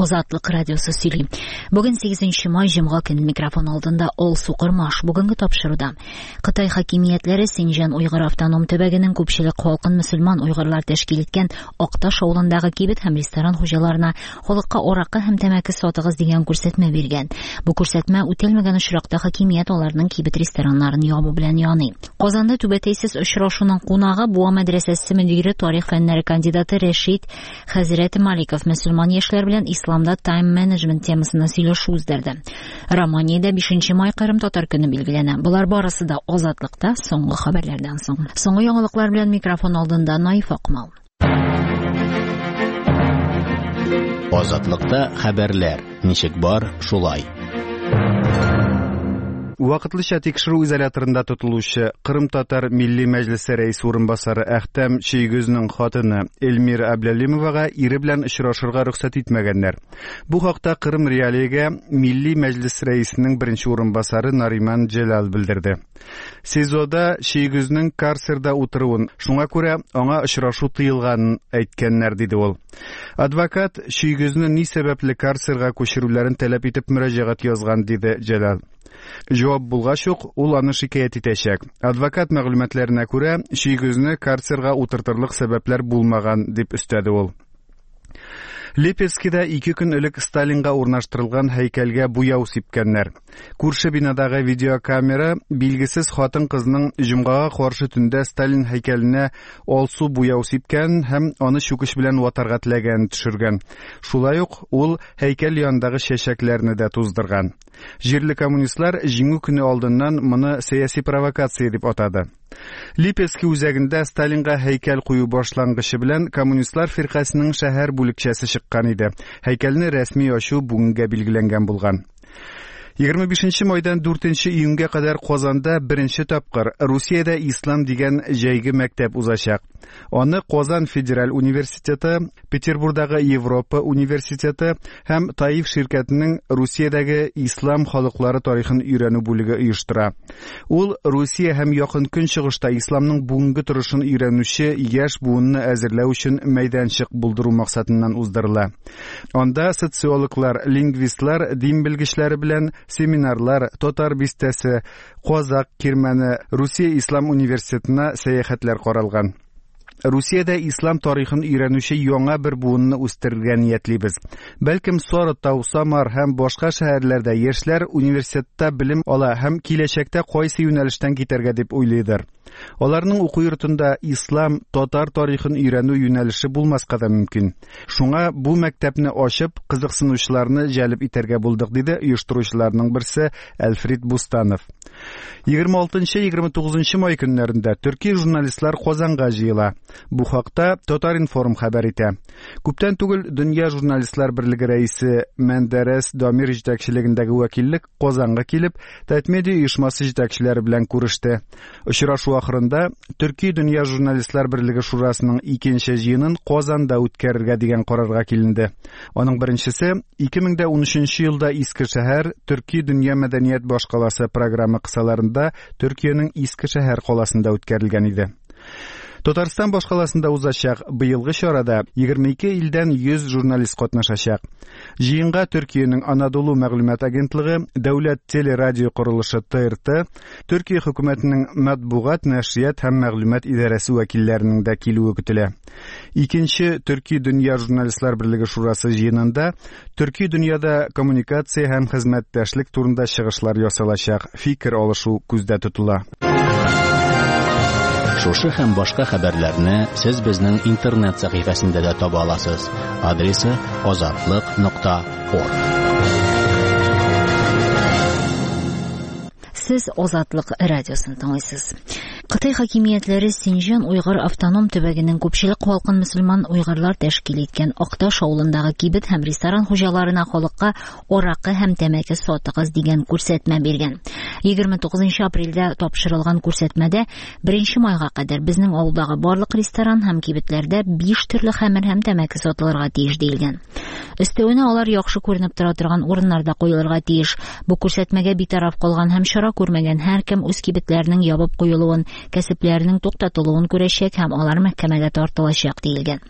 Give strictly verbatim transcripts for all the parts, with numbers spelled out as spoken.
Азатлык радиосы сөйли. Бүген сигезенче май, җомга көн, микрофон алдында Алсу Кормаш. Бүгенге тапшыруда Кытай хакимиятләре Синҗан Уйгыр автоном төбәгенең күпчелек халкын мөселман уйгырлар тәшкил иткән Акташ авылындагы кибет һәм ресторан хуҗаларына халыкка аракы һәм тәмәке сатыгыз дигән күрсәтмә биргән. Бу күрсәтмә үтәлмәгән очракта хакимият аларның кибет рестораннарын ябу белән яный. Казанда түбәтәйсез очрашуның кунагы Буа мәдрәсәсе мөдире, тарих фәннәре кандидаты Рәшит хәзрәт Маликов мөселман яшьләр белән исламда тайм-менеджмент темасына сөйләшү уздырды. Романиядә бишенче май Кырым татар көне билгеләнә. Болар барысы да Азатлыкта соңгы хәбәрләрдән соң. Соңгы яңалыклар белән микрофон алдында Наиф Акмал. Азатлыкта хәбәрләр ничек бар, шулай. Вакытлыча тикшерү изоляторында тотылучы Кырым татар милли мәҗлесе рәисе урынбасары Әхтәм Чийгөзнең хатыны Эльмира Әбләлимовага ире белән очрашырга рөхсәт итмәгәннәр. Бу хакта Кырым Реалиягә милли мәҗлес рәисенең беренче урынбасары Нариман Җәлал белдерде. СИЗОда Чийгөзнең карцерда утыруын, шуңа күрә аңа очрашу тыелганын әйткәннәр, диде ул. Адвокат Чийгөзне ни сәбәпле карцерга күчерүләрен таләп итеп мөрәҗәгать язган, диде Җәлал. Җавап булгач ук, ул аны шикаять итәчәк. Адвокат мәгълүматларына күрә, Чийгөзне карцерга утыртырлык сәбәпләр булмаган, дип өстәде ул. Липецкида ике көн элек Сталинга урнаштырылган һәйкәлгә буяу сипкәннәр. Күрше бинадагы видеокамера билгесез хатын-кызның җомгага каршы төндә Сталин һәйкәленә алсу буяу сипкән һәм аны чүкеч белән ватарга теләгәнен төшергән. Шулай ук ул һәйкәл янындагы чәчәкләрне дә туздырган. Җирле коммунистлар Җиңү көне алдыннан моны сәяси провокация дип атады. Липецки үзәгендә Сталинга һәйкәл кую башлангычы белән Коммунистлар фиркасының шәһәр бүлекчәсе чыккан иде. Һәйкәлне рәсми ачу бүгенгә билгеләнгән булган. Егерме бишенче майдан дүртенче июньгә кадәр Казанда беренче тапкыр Русиядә ислам дигән җәйге мәктәп узачак. Аны Казан федераль университеты, Петербургдагы Европа университеты һәм Таиф ширкәтенең Русиядәге ислам халыклары тарихын өйрәнү бүлеге оештыра. Ул Русия һәм Якын Көнчыгышта исламның бүгенге торышын өйрәнүче яшь буынны әзерләү өчен мәйданчык булдыру максатыннан уздырыла. Анда социологлар, лингвистлар, дин белгечләре белән семинарлар, татар бистәсе, Казак кирмәне, Русия ислам университетына сәяхәтләр каралган. Русиядә ислам тарихын өйрәнүче яңа бер буынны үстерергә ниятлибез. Бәлкем Сарытау, Самар һәм башка шәһәрләрдә яшьләр университетта белем ала һәм киләчәктә кайсы юнәлештән китәргә дип уйлыйдыр. Аларның уку йортында ислам, татар тарихын өйрәнү юнәлеше булмаска да мөмкин. Шуңа бу мәктәпне ачып, кызыксынучыларны җәлеп итәргә булдык, диде оештыручыларның берсе Әлфрид Бустанов. Егерме алтынчы, егерме тугызынчы май көннәрендә төрки журналистлар Казанга җыела. Бу хакта Татар-информ хәбәр итә. Күптән түгел Дөнья журналистлар берлеге рәисе Мендерес Дамир җитәкчелегендәге вәкиллек Казанга килеп, Татмедиа оешмасы җитәкчеләре белән күреште. Очрашу ахырында Төрки Дөнья журналистлар берлеге шурасының икенче җыенын Казанда үткәрергә дигән карарга киленде. Аның беренчесе ике мең дә унөченче елда Иске шәһәр Төрки Дөнья мәдәният башкаласы программа кысаларында Төркиянең Иске шәһәр каласында үткәрелгән иде. Татарстан башкаласында узачак быелгы чарада егерме ике илдән йөз журналист катнашачак. Җыенга Төркиянең Анадолу мәгълүмат агентлыгы, Дәүләт телерадио корылышы Т Р Т, Төркия хөкүмәтенең матбугат, нәшрият һәм мәгълүмат идарәсе вәкилләренең дә килүе көтелә. Икенче Төрки Дөнья журналистлар берлеге шурасы җыенында Төрки дөньяда коммуникация һәм хезмәттәшлек турында чыгышлар ясалачак, фикер алышу күздә тотыла. Шушы һәм башка хәбәрләрне сез безнең интернет сәхифәсендә дә таба аласыз. Адресы азатлык нокта орг. Сез Азатлык радиосын тыңлыйсыз. Кытай хакимиятләре Синҗан Уйгыр автоном төбәгенең күпчелек халкын мөселман уйгырлар тәшкил иткән Акташ авылындагы кибет һәм ресторан хуҗаларына халыкка аракы һәм тәмәке сатыгыз дигән күрсәтмә биргән. Егерме тугызынчы апрельдә тапшырылган күрсәтмәдә беренче майга кадәр безнең авылдагы барлык ресторан һәм кибетләрдә биш төрле хәмер һәм тәмәке сатылырга тиеш диелгән. Өстәвенә алар яхшы күренеп тора торган урыннарда куелырга тиеш. Бу күрсәтмәгә битараф калган һәм чара күрмәгән һәркем үз кибетләренең ябып куелуын, кәсепләренең туктатылуын күрәчәк һәм алар мәхкәмәгә тартылачак диелгән.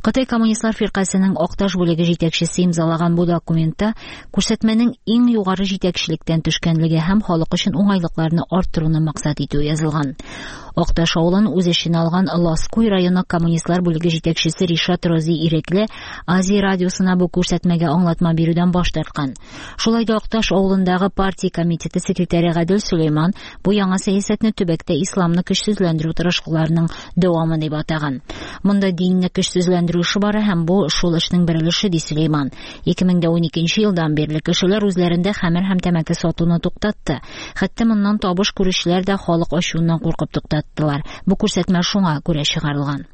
Кытай Коммунистлар фиркасының Акташ бүлеге җитәкчесе имзалаган бу документта күрсәтмәнең иң югары җитәкчелектән төшкәнлеге һәм халык өчен уңайлыкларны арттыруны максат итү язылган. Акташ авылын үз эченә алган Ласкуй районы Коммунистлар бүлеге җитәкчесе Ришат Рози Ирекле Азия радиосына бу күрсәтмәгә аңлатма бирүдән баш тарткан. Шулай да Акташ авылындагы партия комитеты секретаре Гадел Сөләйман бу яңа сәясәтне төбәктә исламны көчсезләндерү тырышлыкларының дәвамы дип атаган. Монда динне көчсезләндерү эше бара һәм бу шул эшнең бер өлеше, ди Сөләйман. Ике мең дә уникенче елдан бирле кешеләр үзләрендә хәмер һәм тәмәке сатуны туктатты. Хәтта моннан табыш күрүчеләр дә халык ачуыннан куркып туктаттылар. Бу күрсәтмә шуңа күрә чыгарылган.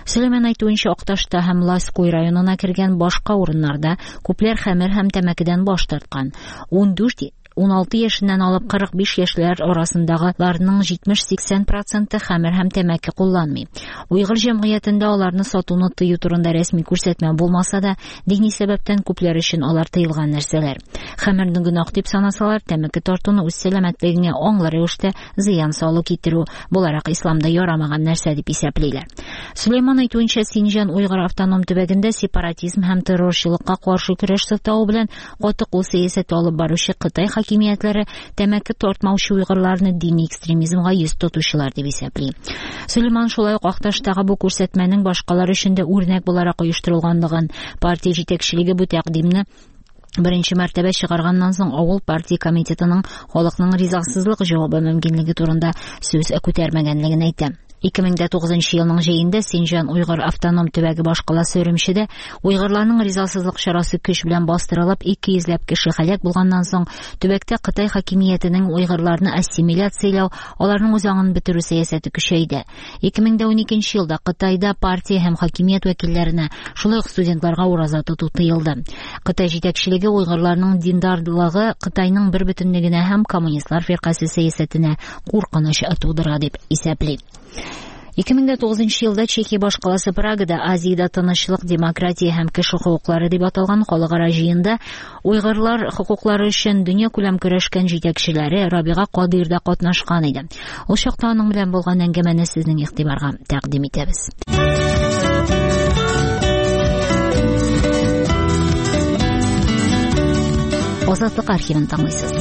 Сөләйман әйтүенчә, Акташта һәм Ласкуй районына кергән башка урыннарда күпләр хәмер һәм тәмәкедән баш тарткан. Ун дүрт, ун алты яшеннән алып кырык биш яшьләр арасындагыларның җитмеш-сиксән проценты хәмер һәм тәмәке кулланмый. Уйгыр җәмгыятендә аларны сатуны тыю турында рәсми күрсәтмә булмаса да, дини сәбәптән күпләр өчен алар тыелган нәрсәләр. Хәмерне гөнаһ дип санасалар, тәмәке тартуны үз сәламәтлегеңә аңлы рәвештә зыян салу китерү буларак исламда ярамаган нәрсә дип исәплиләр. Сөләйман әйтүенчә, Синҗан Уйгыр автоном төбәгендә сепаратизм һәм террорчылыкка каршы көрәш сылтавы белән каты кул сәясәте алып баручы Кытай хакимиятләре тәмәке тартмаучы уйгырларны дини экстремизмга йөз тотучылар дип исәпли. Сөләйман шулай ук Акташтагы бу күрсәтмәнең башкалар өчен дә үрнәк буларак оештырылганлыгын, партия җитәкчелеге бу тәкъдимне беренче мәртәбә чыгарганнан соң авыл партия комитетының халыкның ризасызлык җавабы мөмкинлеге турында сүз күтәрмәгәнлеген әйтә. Ике мең дә тугызынчы елның җәендә Синҗан Уйгыр автоном төбәге башкаласы Өремчедә уйгырларның ризасызлык чарасы көч белән бастырылып, ике йөзләп кеше һәлак булганнан соң төбәктә Кытай хакимиятенең уйгырларны ассимиляцияләү, аларның үз аңын бетерү сәясәте көчәйде. Ике мең дә уникенче елда Кытайда партия һәм хакимият вәкилләренә, шулай ук студентларга ураза тоту тыелды. Кытай җитәкчелеге уйгырларның диндарлыгы Кытайның бер бөтенлегенә һәм коммунистлар фиркасе сәясәтенә куркыныч тудыра дип исәпли. Ике мең дә тугызынчы елда Чехия башкаласы Прагада Азиядә тынычлык, демократия һәм кеше хокуклары дип аталган халыкара җыенда уйгырлар хокуклары өчен дөнья күләм көрәшкән җитәкчеләре Рабига Кадыйр да катнашкан иде. Ул чакта аның белән булган әңгәмәне сезнең игътибарга тәкъдим итәбез. Азатлык архивын тыңлыйсыз.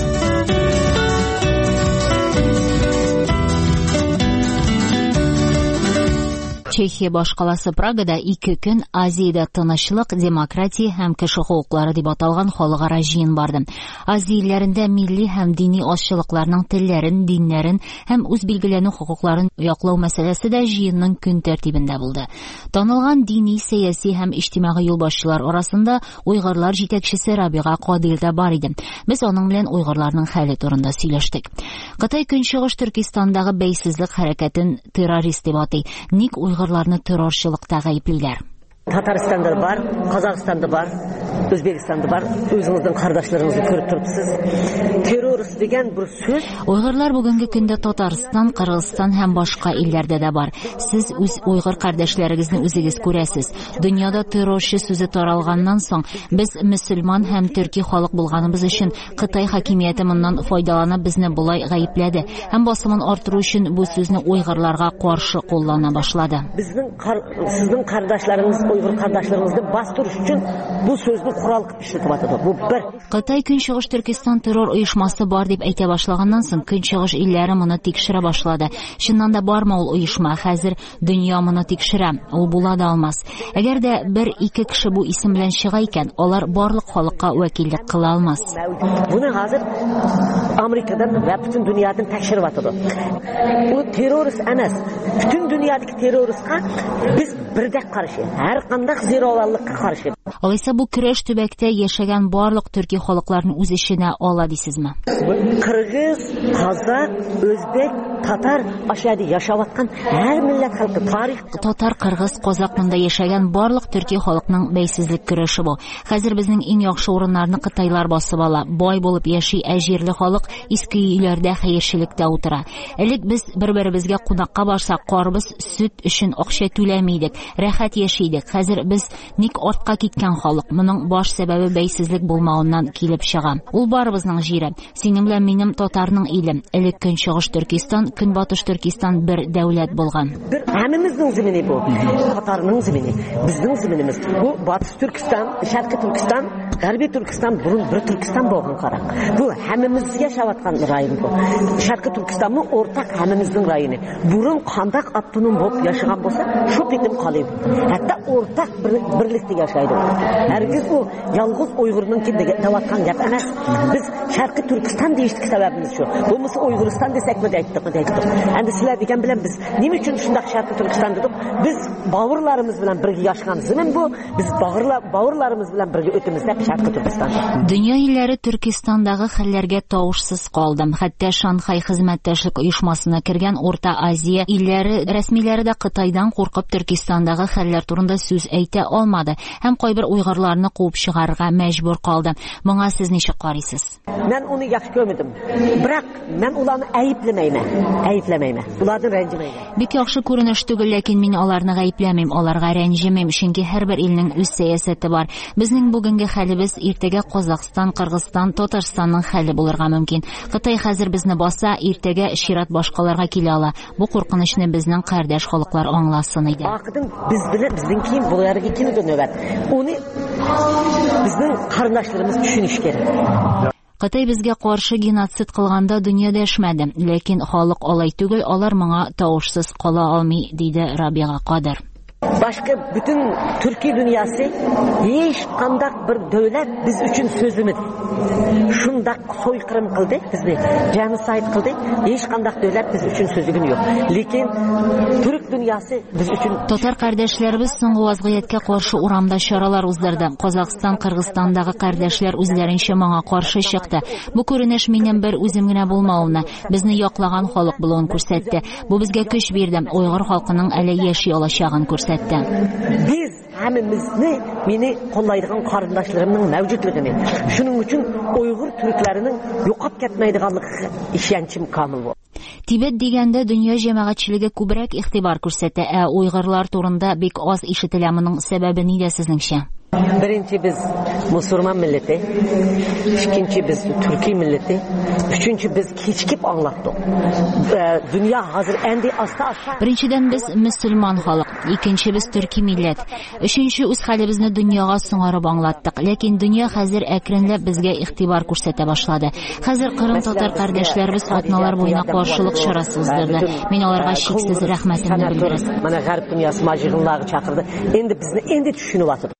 Чехия башкаласы Прагада ике көн Азиядә тынычлык, демократия һәм кеше хокуклары дип аталган халыкара җыен барды. Азия илләрендә милли һәм дини азчылыкларның телләрен, диннәрен һәм үз билгеләнү хокукларын яклау мәсьәләсе дә җыенның көн тәртибендә булды. Танылган дини, сәяси һәм иҗтимагый юлбашчылар арасында уйгырлар җитәкчесе Рабига Кадыйр да бар иде. Без аның белән уйгырларның хәле турында сөйләштек. Кытай Көнчыгыш Төркистандагы бәйсезлек хәрәкәтен террорист дип атый. Ник уйгырларны террорчылыкта гаеплиләр? Татарстанда бар, Казахстанда бар, Өзбекстанда бар. Өзіңіздің қардашларыңызды көріп тұрыпсыз. Террорист деген бір сөз. Уйгырлар бүгенге көндә Татарстан, Кыргызстан һәм башка илләрдә дә бар. Сез үз уйгыр кардәшләрегезне үзегез күрәсез. Дөньяда террорчы сүзе таралганнан соң, без мөселман һәм төрки халык булганыбыз өчен Кытай хакимияте моннан файдаланып безне болай гаепләде һәм басымын арттыру өчен бу сүзне уйгырларга каршы куллана башлады. Безнең сезнең кардашларыгыз, уйгыр кардашларыгызны бастыру өчен бу сүзне корал кылып эшләтеп атады. Бу бер. Кытай Көнчыгыш Төркестан террор оешмасы бар дип әйтә башлаганнан соң Көнчыгыш илләре моны тикшерә башлады. Чыннан да бармы ул оешма? Хәзер дөнья моны тикшерә. Ул була да алмас. Әгәр дә бер-ике кеше бу исем белән чыга икән, алар барлык халыкка вәкиллек кыла алмас. Буны хәзер Америкадан ва бүтән дөньядан тикшереп атады. Ул террорист эмас. Бүтән дөньядагы террористка без бердәк каршы. Һәр кандай зированлыкка каршы. Алайса бу көрәш төбәктә яшәгән барлык төрки халыкларны үз эченә ала дисезме? Кыргыз, казак, өзбек, Татар ашады яшаваткан һәр милләт халкы тарих. Татар, кыргыз, казак монда яшәгән барлык төрки халыкның бәйсезлек көрәше бу. Хәзер безнең иң яхшы урыннарны кытайлар басып ала. Бай булып яши, ә җирле халык иске өйләрдә хәерчелектә утыра. Элек без бер-беребезгә кунакка барсак, карбыз, сөт өчен акча түләми идек, рәхәт яши идек. Хәзер без ник артка киткән халык? Моның баш сәбәбе бәйсезлек булмавыннан килеп чыга. Ул барыбызның җире. Синең белән минем татарның иле. Элек Көнчыгыш Төркистан, Көнбатыш Төркистан бер дәүләт булган. Бер һәммәмезнең зимини бу. Татарның зимини, безнең зиминimiz. Бу Батыш Төркистан, Шәрқи Төркистан, Ғәрби Төркистан бурун бер Төркистан булган карак. Бу һәммәмез яшәваткан район бу. Шәрқи Төркистанны уртак һәммәмезнең районы. Бурун кандак автоном булып яшәгән булса, шу битим калып. Хәтта уртак бер, берлектә яшәйде. Һәргиз ул ялгыз уйгырның ким дәваткан гәп эмас. Без Шәрқи Төркистан дейиштик сәбәбimiz шу. Булмаса Уйгырстан десәкме дә әйттек, әйттек. Әнде силәр дигән белән без ниме өчен шундый Шәрқи Төркистан дидек? Без бавырларыбыз белән бергә яшәгән зимин бу. Без бавырлар бавырларыбыз белән бергә өтемез дип Шәрқи Төркистан. Дөнья илләре Төркистандагы хәлләргә тавышсыз калды. Хәтта Шанхай хезмәттәшлек оешмасына кергән Урта Азия илләре рәсмиләре дә Кытайдан куркып Төркистандагы хәлләр турында сүз әйтә алмады һәм кайбер уйгырларны куып чыгарырга мәҗбүр калды. Моңа сез ничек карыйсыз? Мен уны яхшы күрмәдем. Бирок мен уларны әйепләмәймен. Әйепләмәймен. Улардан рәнҗемәймен. Бик яхшы күренеш түгел, ләкин мин аларны гаепләмим, аларга рәнҗемим, чөнки һәрбер илнең үз сәясәте бар. Безнең бүгенге хәлебез иртәгә Казахстан, Кыргызстан, Татарстанның хәле булырга мөмкин. Кытай хәзер безне баса, иртәгә чират башкаларга килә ала. Бу куркынычны безнең кардәш халыклар аңласын иде. Акыдан без белән безнең ким буларга килде нәүбәт. Уны безнең карындашларыбыз төшенеш кирәк. Кытай безгә каршы геноцид кылганда дөнья дәшмәде, ләкин халык алай түгел, алар моңа тавышсыз кала алмый, диде Рабига Кадыр. Башка бүтүн түрки дүйнөсү эч кандай бир дөөлөт биз үчүн сөзлөмөдү. Шундак сойкырым кылды бизди, геноцид кылды. Эч кандай дөөлөт биз үчүн сөзлөгөн жок. Лекин түрк дүйнөсү биз үчүн Татар кардәшләребез соңгы вазгыятькә каршы урамда чаралар уздырды. Казахстан, Кыргызстандагы кардәшләр үзләренчә моңа каршы чыкты. Бу күренеш минем бер үзем генә булмавымны, безне яклаган халык булуын күрсәтте. Бу безгә көч бирде. Уйгыр халкының әле яши алачагын күрсәтте. Биз һәммәмезне мени коллайдыган карындашларымның мәвҗүдлегене. Шуның өчен уйгыр түркләренең юкап кетмәйдиганлыгы ишенчим камил бу. Тибет дигәндә дөнья җәмәгатьчелеге күбрәк игътибар күрсәтә, ә уйгырлар турында бик аз ишетелә. Моның сәбәбе нидә сезнеңчә? Birinci biz Musulman milleti, ikinci biz Türkiye milleti, üçüncü biz keçikip anlattık. Ee, dünya hazır endi asta asta. Birinchiden biz musulmon xalq, ikkinchi biz turkiy millat, uchinchi o'z halimizni dunyoga sing'arib anglatdik. Lekin dunyo hozir akrinlab bizga e'tibor ko'rsata boshladi. Hozir Qrim tatar qardoshlarimiz otnalar bo'yina qarshilik chorasi o'zdirdi. Men ularga cheksiz rahmatimni bildiraman. Mana g'arb dunyosi majig'inlarga chaqirdi. Endi bizni endi tushunyapti.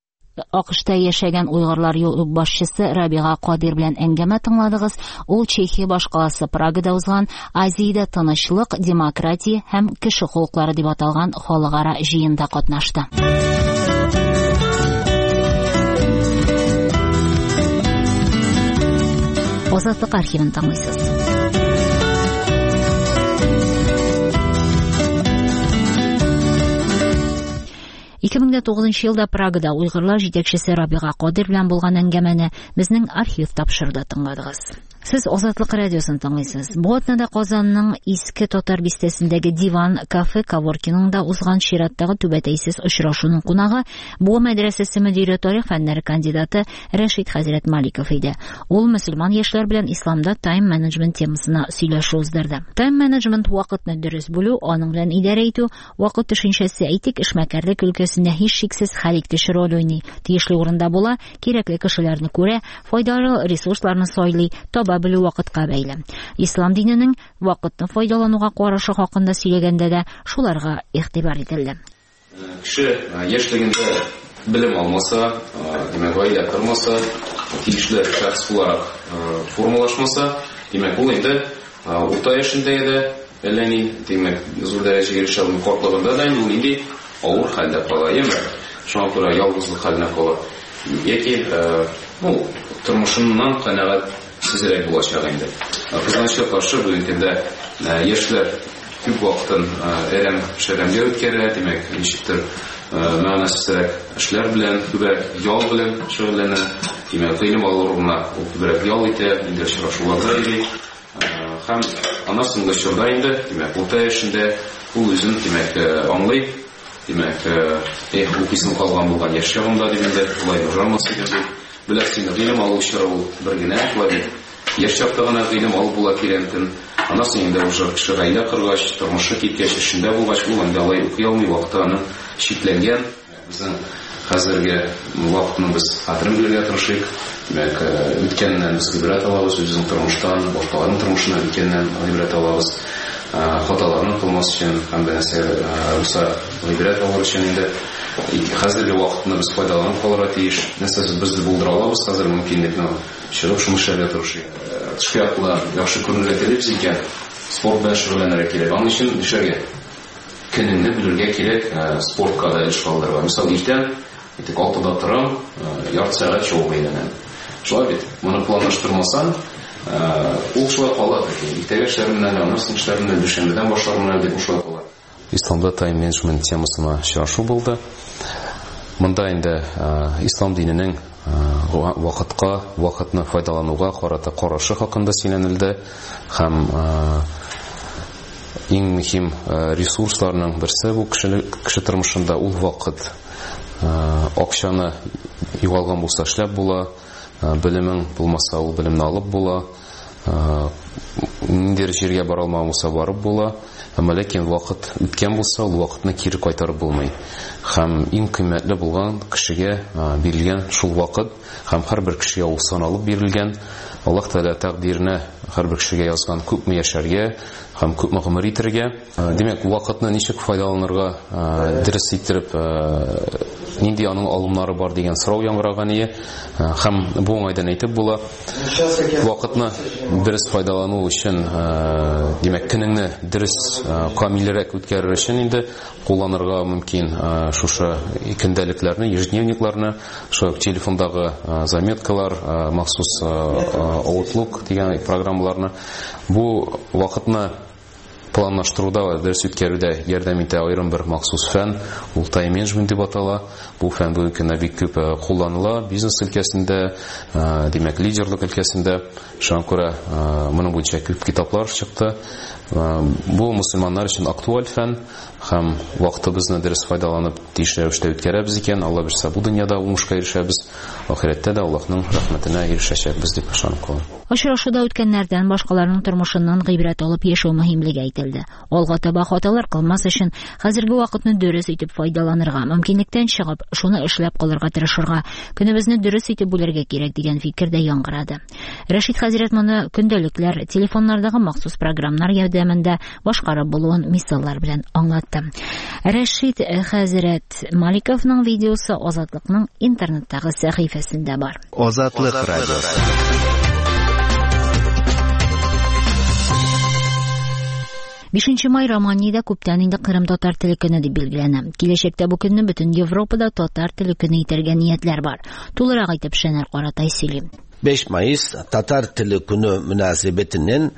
AQShta яшәгән уйгырлар юлбашчысы Рабига Кадир белән әңгәмә тыңладыгыз. Ул Чехия башкаласы Прагада узган Азиядә тынычлык, демократия һәм кеше хокуклары дип аталган халыкара җыенда катнашты. Азатлык архивын тыңлыйсыз. ике мең тугызынчы елда Прагада уйгырлар җитәкчесе Рабига Кадир белән булган әңгәмәне безнең архив тапшыруда тыңладыгыз. Сез Азатлык радиосын тыңлыйсыз. Бу атнада Казанның Иске Татар бистәсендәге Диван кафе коворкингында узган чираттагы түбәтәйсез очрашуның кунагы Буа мәдрәсәсе мөдире, тарих фәннәре кандидаты Рәшит хәзрәт Маликов иде. Ул мөселман яшьләр белән исламда тайм-менеджмент темасына сөйләшү уздырды. Тайм-менеджмент вакытны дөрес бүлү, аның белән идарә итү, вакыт төшенчәсе әйтик, эшмәкәрлек өлкәсендә һичшиксез хәл итүче роль уйный. Тиешле урында була, кирәкле кешеләрне күрә, файдалы ресурсларны сайлый, таба белү вакытка бәйле. Ислам диненең вакытны файдалануга карашы хакында сөйләгәндә дә шуларга игътибар ителде. Кеше яшьлегендә белем алмаса, димәк, гаилә кормаса, тиешле шәхес буларак формалашмаса, димәк, ул инде урта яшендә дә әллә ни, димәк, зур дәрәҗәгә ирешә алмый, картлыгында да инде ул инде авыр хәлдә кала, яме? Шуңа күрә ялгызлык хәленә кала. Яки, ну, тормышыннан канәгать сизрәк булачак инде. Кызганычка каршы, бүгенге көндә яшьләр күп вакытын әрәм-шәрәмгә үткәрә, димәк, ничектер мәгънәсезрәк эшләр белән, күбрәк ял белән шөгыльләнә, димәк, гыйлем алу урынына ул күбрәк ял итә, инде очрашуларда йөри. Һәм аннан соңгы чорда инде, димәк, урта яшендә ул үзен, димәк, аңлый, димәк, эх, укыйсым калган булган яшь чагымда дип инде, болай җармас идем дип. Беләсез, гыйлем алу чоры ул бер генә, шулай бит. Яшь чакта гына гыйлем алып була тирәнтен. Аннан соң инде уже кеше гаилә коргач, тормышы киткәч, эшендә булгач, ул инде алай укый алмый, вакыты аның чикләнгән. Безнең хәзерге вакытны без кадерен белергә тырышыйк. Димәк, үткәннән без гыйбрәт алабыз, үзебезнең тормыштан, башкаларның тормышыннан үткәннән гыйбрәт алабыз. Хаталарны кылмас өчен һәм дә нәрсә булса гыйбрәт алыр өчен инде хәзерге вакытны без файдаланып калырга тиеш. Нәрсә без булдыра алабыз хәзер мөмкинлекне чыгып шуны эшләргә тырышыйк. Тышкы яклы яхшы күренергә телибез икән, спорт белән шөгыльләнергә кирәк. Аның өчен нишләргә? Көнеңне бүлергә кирәк, спортка да эш калдырырга. Мисал, иртән әйтик алтыда торам, ярты сәгать чабып әйләнәм. Шулай бит, моны планлаштырмасаң, ул шулай кала. Иртәгә эшләрем белән, аннан соң эшләрем белән, дүшәмбедән башларым белән дип шулай кала. Исламда тайм-менеджмент темасына очрашу булды. Монда инде ислам диненең вакытка, вакытны файдалануга карата карашы хакында сөйләнелде һәм иң мөһим ресурсларның берсе бу кеше, кеше тормышында ул вакыт. Акчаны югалган булса эшләп була, белемең булмаса ул белемне алып була, ниндидер җиргә бара алмаган булса барып була, әмма ләкин вакыт үткән булса ул вакытны кире кайтарып булмый. Һәм иң кыйммәтле булган кешегә бирелгән шул вакыт, һәм һәрбер кешегә ул саналып бирелгән. Аллаһ Тәгалә тәкъдиренә һәрбер кешегә язган күпме яшәргә һәм күпме гомер итәргә. Димәк, вакытны ничек файдаланырга, дөрес иттереп, нинди аның алымнары бар дигән сорау яңгыраган иде. Һәм бу уңайдан әйтеп була, вакытны дөрес файдалану өчен, димәк, көнеңне дөрес, камилрәк үткәрер өчен инде кулланырга мөмкин шушы көндәлекләрне, ежедневникларны, шул телефондагы заметкалар, махсус Outlook дигән программаларны. Бу вакытны планлаштыруда ва дөрес үткәрүдә ярдәм итә аерым бер махсус фән, ул тайм-менеджмент дип атала. Бу фән бүгенге көндә бик күп кулланыла бизнес өлкәсендә, димәк, лидерлык өлкәсендә. Шуңа күрә моның буенча күп китаплар чыкты. Бу мөселманнар өчен актуаль фән һәм вакытыбызны дөрес файдаланып тиешле рәвештә үткәрәбез икән, Алла бирсә, бу дөньяда уңышка ирешәбез, ахирәттә дә Аллаһның рәхмәтенә ирешәчәкбез дип ышанып калам. Очрашуда үткәннәрдән башкаларның тормышыннан гыйбрәт алып яшәү мөһимлеге әйтелде. Алга таба хаталар кылмас өчен хәзерге вакытны дөрес итеп файдаланырга, мөмкинлектән чыгып, шуны эшләп калырга тырышырга, көнебезне дөрес итеп бүлергә кирәк дигән фикер дә яңгырады. Рәшит хәзрәт моны көндәлекләр, телефоннардагы махсус программалар ярдәмендә башкарып булуын мисаллар белән аңлатты. Рәшит хәзрәт Маликовның видеосы Азатлыкның интернеттагы сәхифәсендә бар. Азатлык радиосы. Бишенче май Романиядә күптән инде Кырым татар теле көне дип билгеләнә. Киләчәктә бу көнне бөтен Европада татар теле көне итәргә ниятләр бар. Тулырак итеп Шәнәр Каратай сөйли. beş Mayıs Tatar Tili Günü münasebetinin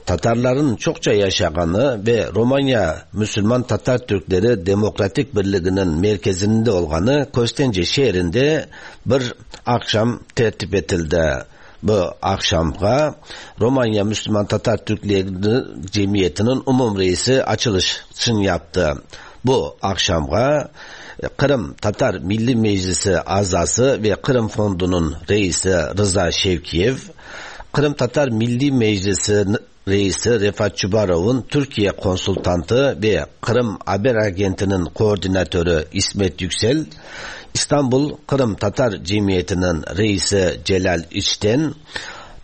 Tatarların çokça yaşaganı ve Romanya Müslüman Tatar Türkleri Demokratik Birliği'nin merkezinde olganı Köstence şehrinde bir akşam tertip edildi. Bu akşamga Romanya Müslüman Tatar Türkleri Cemiyeti'nin umum reisi açılışını yaptı. Bu akşamga Kırım Tatar Milli Meclisi azası ve Kırım Fondu'nun reisi Rıza Şevkiyev, Kırım Tatar Milli Meclisi reisi Refat Çubarov'un Türkiye konsultantı ve Kırım Haber Agenti'nin koordinatörü İsmet Yüksel, İstanbul Kırım Tatar Cemiyeti'nin reisi Celal İçten,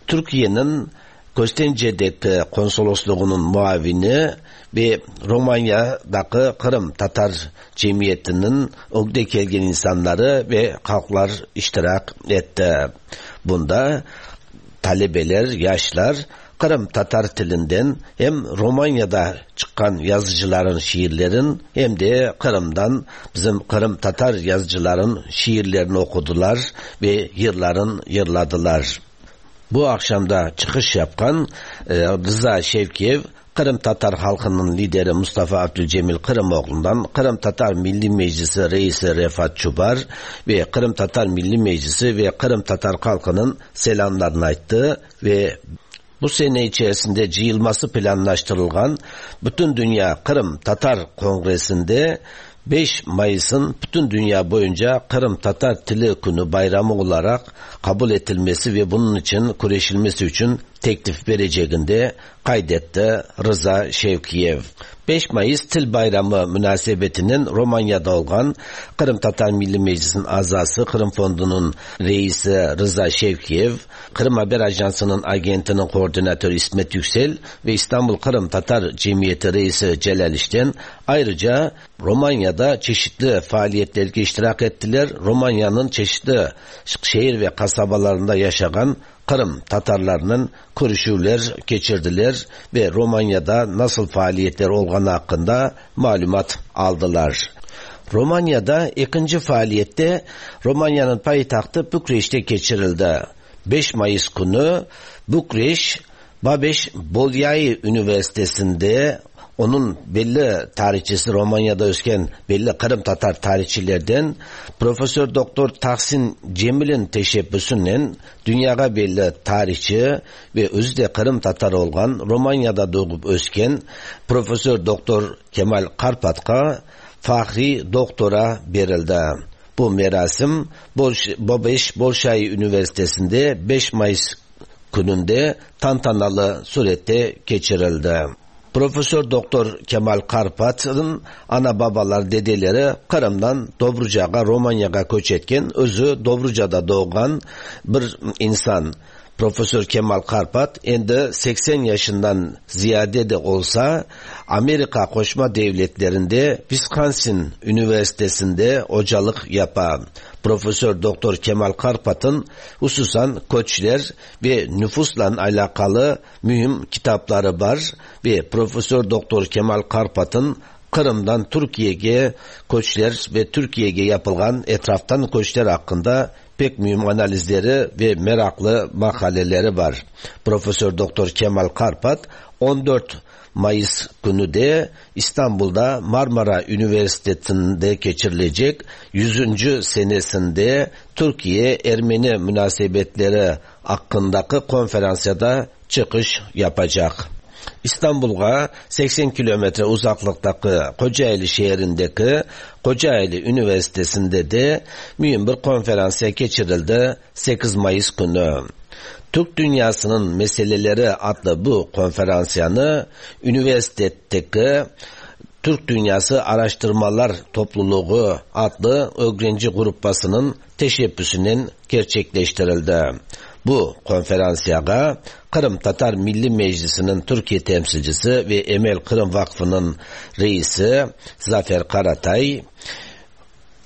Türkiye'nin Köstence'deki konsolosluğunun muavini ve Romanya'daki Kırım Tatar Cemiyeti'nin ögde kelgen insanları ve halklar iştirak etti. Bunda talebeler, yaşlar Kırım Tatar tilinden hem Romanya'da çıkan yazıcıların şiirlerin hem de Kırım'dan bizim Kırım Tatar yazıcıların şiirlerini okudular ve yırların yırladılar. Bu akşamda çıkış yapan e, Rıza Şevkiyev, Kırım Tatar halkının lideri Mustafa Abdülcemil Kırımoğlu'ndan Kırım Tatar Milli Meclisi Reisi Refat Çubar ve Kırım Tatar Milli Meclisi ve Kırım Tatar halkının selamlarını ayttı ve bu sene içerisinde cıyılması planlaştırılan Bütün Dünya Kırım Tatar Kongresi'nde beş Mayıs'ın bütün dünya boyunca Kırım Tatar Tili Günü bayramı olarak kabul edilmesi ve bunun için kureşilmesi için teklif vereceğini kaydetti Rıza Şevkiyev. beş Mayıs Til Bayramı münasebetinin Romanya'da olan Kırım Tatar Milli Meclisi'nin azası, Kırım Fondu'nun reisi Rıza Şevkiyev, Kırım Haber Ajansı'nın agentinin koordinatörü İsmet Yüksel ve İstanbul Kırım Tatar Cemiyeti reisi Celal İşten ayrıca Romanya'da çeşitli faaliyetlere iştirak ettiler. Romanya'nın çeşitli şehir ve kasabalarında yaşayan Kırım Tatarlarının görüşüler geçirdiler ve Romanya'da nasıl faaliyetler olduğunu hakkında malumat aldılar. Romanya'da ikinci faaliyette Romanya'nın payitahtı Bükreş'te geçirildi. beş Mayıs günü Bükreş Babeş Bolyai Üniversitesi'nde onun belli tarihçisi, Romanya'da ösken belli Kırım Tatar tarihçilerden Profesör Doktor Tahsin Cemil'in teşebbüsüyle dünyaya belli tarihçi ve özü de Kırım Tatar olan Romanya'da doğup ösken Profesör Doktor Kemal Karpat'a fahri doktora verildi. Bu merasim Babeş Bolşay Üniversitesi'nde beş Mayıs gününde tantanalı surette geçirildi. Profesör Doktor Kemal Karpat'ın ana babalar, dedeleri Kırım'dan Dobruca'ya, Romanya'ya göç etken, özü Dobruca'da doğan bir insan. Profesör Kemal Karpat endi seksen yaşından ziyade de olsa Amerika Qoşma Devletlerinde Wisconsin Üniversitesi'nde hocalık yapan Profesör Doktor Kemal Karpat'ın hususan köçler ve nüfusla alakalı mühim kitapları var ve Profesör Doktor Kemal Karpat'ın Kırım'dan Türkiye'ye köçler ve Türkiye'ye yapılan etraftan köçler hakkında pek mühim analizleri ve meraklı makaleleri var. Profesör Doktor Kemal Karpat on dört Mayıs günü de İstanbul'da Marmara Üniversitesi'nde geçirilecek yüzüncü senesinde Türkiye Ermeni münasebetleri hakkındaki konferansada çıkış yapacak. İstanbul'a seksen kilometre uzaklıktaki Kocaeli şehrindeki Kocaeli Üniversitesi'nde de mühim bir konferansa geçirildi sekiz Mayıs günü. Türk Dünyasının Meseleleri adlı bu konferansiyanı üniversitedeki Türk Dünyası Araştırmalar Topluluğu adlı öğrenci grupasının teşebbüsünün gerçekleştirildi. Bu konferansiyaya Kırım Tatar Milli Meclisi'nin Türkiye temsilcisi ve Emel Kırım Vakfı'nın reisi Zafer Karatay,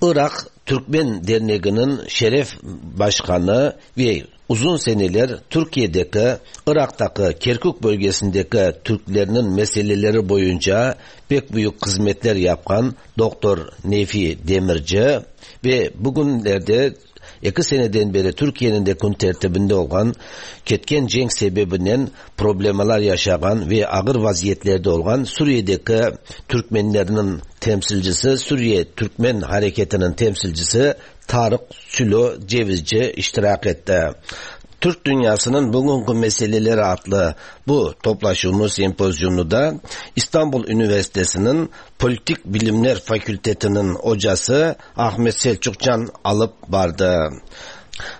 Irak Türkmen Derneği'nin şeref başkanı ve uzun seneler Türkiye'deki, Irak'taki, Kerkük bölgesindeki Türklerinin meseleleri boyunca pek büyük hizmetler yapan Doktor Nefi Demirci ve bugünlerde iki seneden beri Türkiye'nin de gün tertibinde olan ketken cenk sebebinden problemler yaşayan ve ağır vaziyetlerde olan Suriye'deki Türkmenlerinin temsilcisi, Suriye Türkmen Hareketi'nin temsilcisi Tarık Sülo Cevizci iştirak etti. Türk Dünyası'nın Bugünkü Meseleleri adlı bu toplaşımı sempozyumunu da İstanbul Üniversitesi'nin Politik Bilimler Fakültesi'nin hocası Ahmet Selçukcan alıp vardı.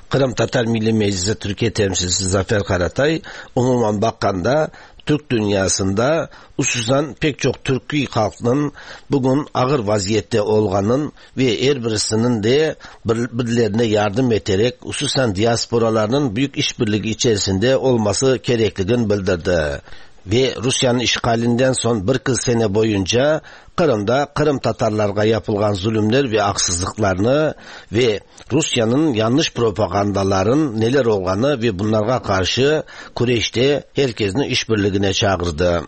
Kırım Tatar Milli Meclisi Türkiye temsilcisi Zafer Karatay, umuman bakkanda Türk dünyasında hususan pek çok Türkiye halkının bugün ağır vaziyette olganın ve her birisinin de birbirlerine yardım ederek hususan diasporalarının büyük işbirliği içerisinde olması gerektiğini bildirdi. Ve Rusya'nın işgalinden son bir kız sene boyunca Kırım'da Kırım Tatarlarga yapılan zulümler ve haksızlıklarını ve Rusya'nın yanlış propagandaların neler olduğunu ve bunlara karşı Kureş'te herkesin işbirliğine çağırdı.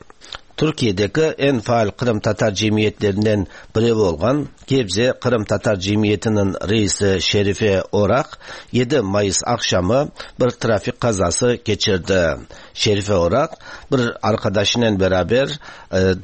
Türkiye'deki en faal Kırım Tatar cemiyetlerinden biri olan Gebze Kırım Tatar Cemiyeti'nin reisi Şerife Orak yedi Mayıs akşamı bir trafik kazası geçirdi. Şerife Orak bir arkadaşıyla beraber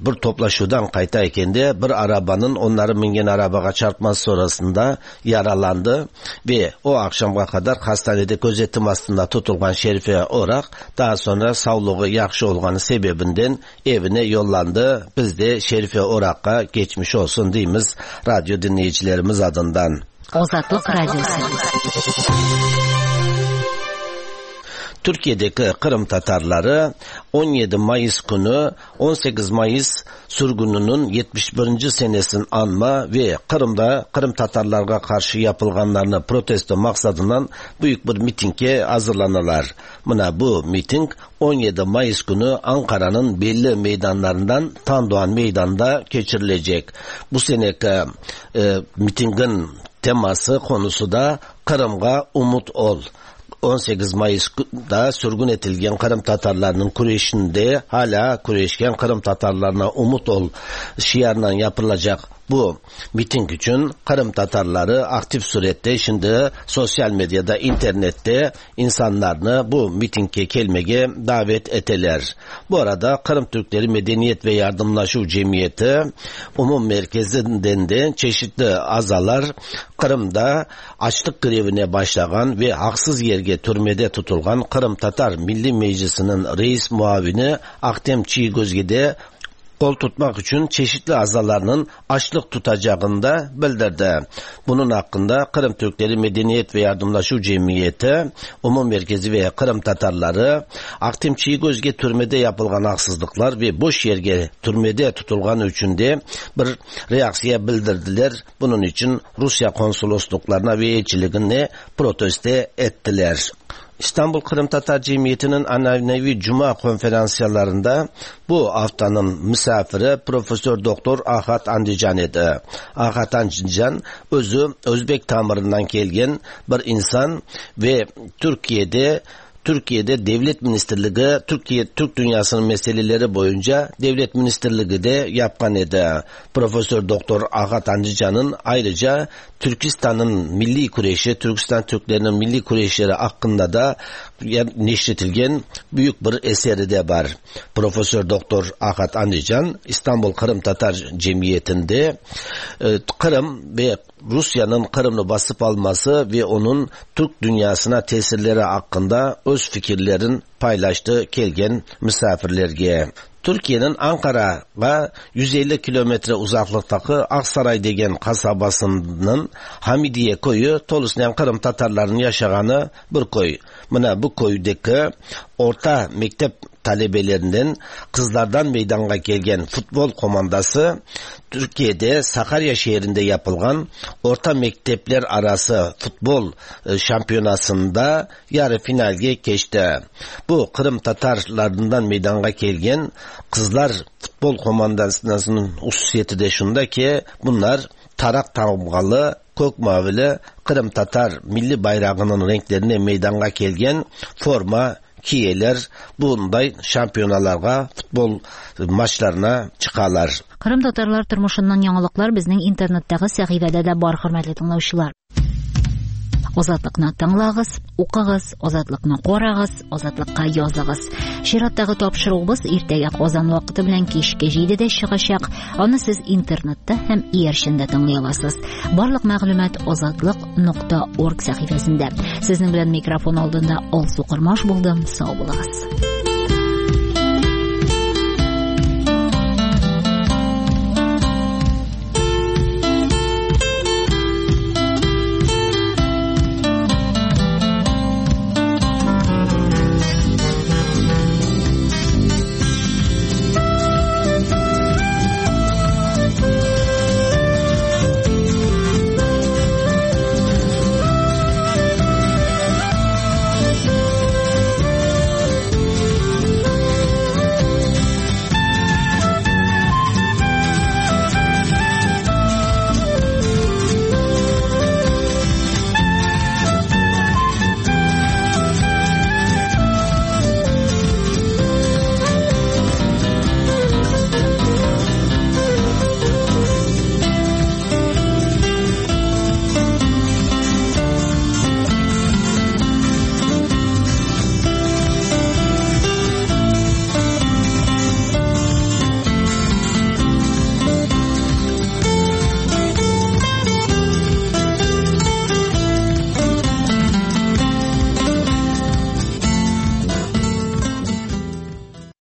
bir toplaşudan qaytayken de bir arabanın onları mingen arabaga çarpması sonrasında yaralandı ve o akşamga kadar hastanede gözetim astında tutulgan Şerife Orak daha sonra sağlığı yaxşı olganı sebebinden evine yollandı. Biz de Şerife Orak'a geçmiş olsun deyimiz radyo dinleyicilerimiz adından. Azatlık Radyosu. Türkiye'deki Kırım Tatarları on yedi Mayıs günü on sekiz Mayıs sürgününün yetmiş birinci senesini anma ve Kırım'da Kırım Tatarlarga karşı yapılganlarını protesto maksadından büyük bir mitinge hazırlanırlar. Mına bu miting on yedi Mayıs günü Ankara'nın belli meydanlarından Tandoğan Meydanı'nda geçirilecek. Bu seneki e, mitingin teması, konusu da Kırım'a umut ol. on sekiz Mayıs'da sürgün etilgen Kırım Tatarlarının küreşinde hala küreşken Kırım Tatarlarına umut ol şiarından yapılacak bu miting için Kırım Tatarları aktif surette şimdi sosyal medyada, internette insanlarını bu mitinge kelmege davet eteler. Bu arada Kırım Türkleri Medeniyet ve Yardımlaşu Cemiyeti Umum Merkezi'nden de çeşitli azalar Kırım'da açlık grevine başlayan ve haksız yerge türmede tutulgan Kırım Tatar Milli Meclisi'nin reis muavini Ahtem Çiygöz'ge de kol tutmak için çeşitli azalarının açlık tutacağını da bildirdi. Bunun hakkında Kırım Türkleri Medeniyet ve Yardımlaşu Cemiyeti, Umum Merkezi ve Kırım Tatarları, Ahtem Çiygöz'ge türmede yapılgan haksızlıklar ve boş yerge türmede tutulgan için de bir reaksiya bildirdiler. Bunun için Rusya konsolosluklarına ve elçiliğine protesto ettiler. İstanbul Kırım Tatar Cemiyeti'nin ananevi Cuma konferanslarında bu haftanın misafiri Profesör Doktor Ahat Andijan idi. Ahat Andijan özü Özbek tamırından gelgen bir insan ve Türkiye'de Türkiye'de Devlet Ministerligi, Türkiye Türk dünyasının meseleleri boyunca Devlet Ministerligi de yapkan idi. Profesör Doktor Ahat Andijan'ın ayrıca Türkistan'ın milli kureşi, Türkistan Türklerinin milli kureşleri hakkında da neşretilgen büyük bir eseri de var. Profesör Doktor Ahat Andijan İstanbul Kırım Tatar Cemiyeti'nde Kırım ve Rusya'nın Kırım'ı basıp alması ve onun Türk dünyasına tesirleri hakkında öz fikirlerin paylaştığı kelgen misafirlerge. Türkiye'nin Ankara'ya yüz elli kilometre uzaklıktaki Aksaray degen kasabasının Hamidiye koyu tolusnen Kırım Tatarlarının yaşağanı bir koy. Mına bu koydaki orta mektep talebelerinden kızlardan meydana gelgen futbol komandası Türkiye'de Sakarya şehrinde yapılgan orta mektepler arası futbol şampiyonasında yarı finalge geçti. Bu Kırım Tatarlarından meydana gelgen kızlar futbol komandasının hususiyeti de şunda ki bunlar tarak tamgalı, kök mavili Kırım Tatar milli bayrağının renklerine meydana gelgen forma kiyeler bunday şampiyonalarga, futbol maçlarına çıkarlar. Kırım Tatarlar turmuşundan яңалыклар безнең интернеттагы сәхифәдә дә бар, хөрмәтле тыңлаучылар. Азатлыкны тыңлагыз, укыгыз, Азатлыкны карагыз, Азатлыкка языгыз. Чираттагы тапшыруыбыз иртәгә Казан вакыты белән кичке җидедә чыгачак. Аны сез интернетта һәм иярчендә тыңлый аласыз. Барлык мәгълүмат азатлык нокта орг сәхифәсендә. Сезнең белән микрофон алдында Алсу Кормаш булдым. Сау булыгыз.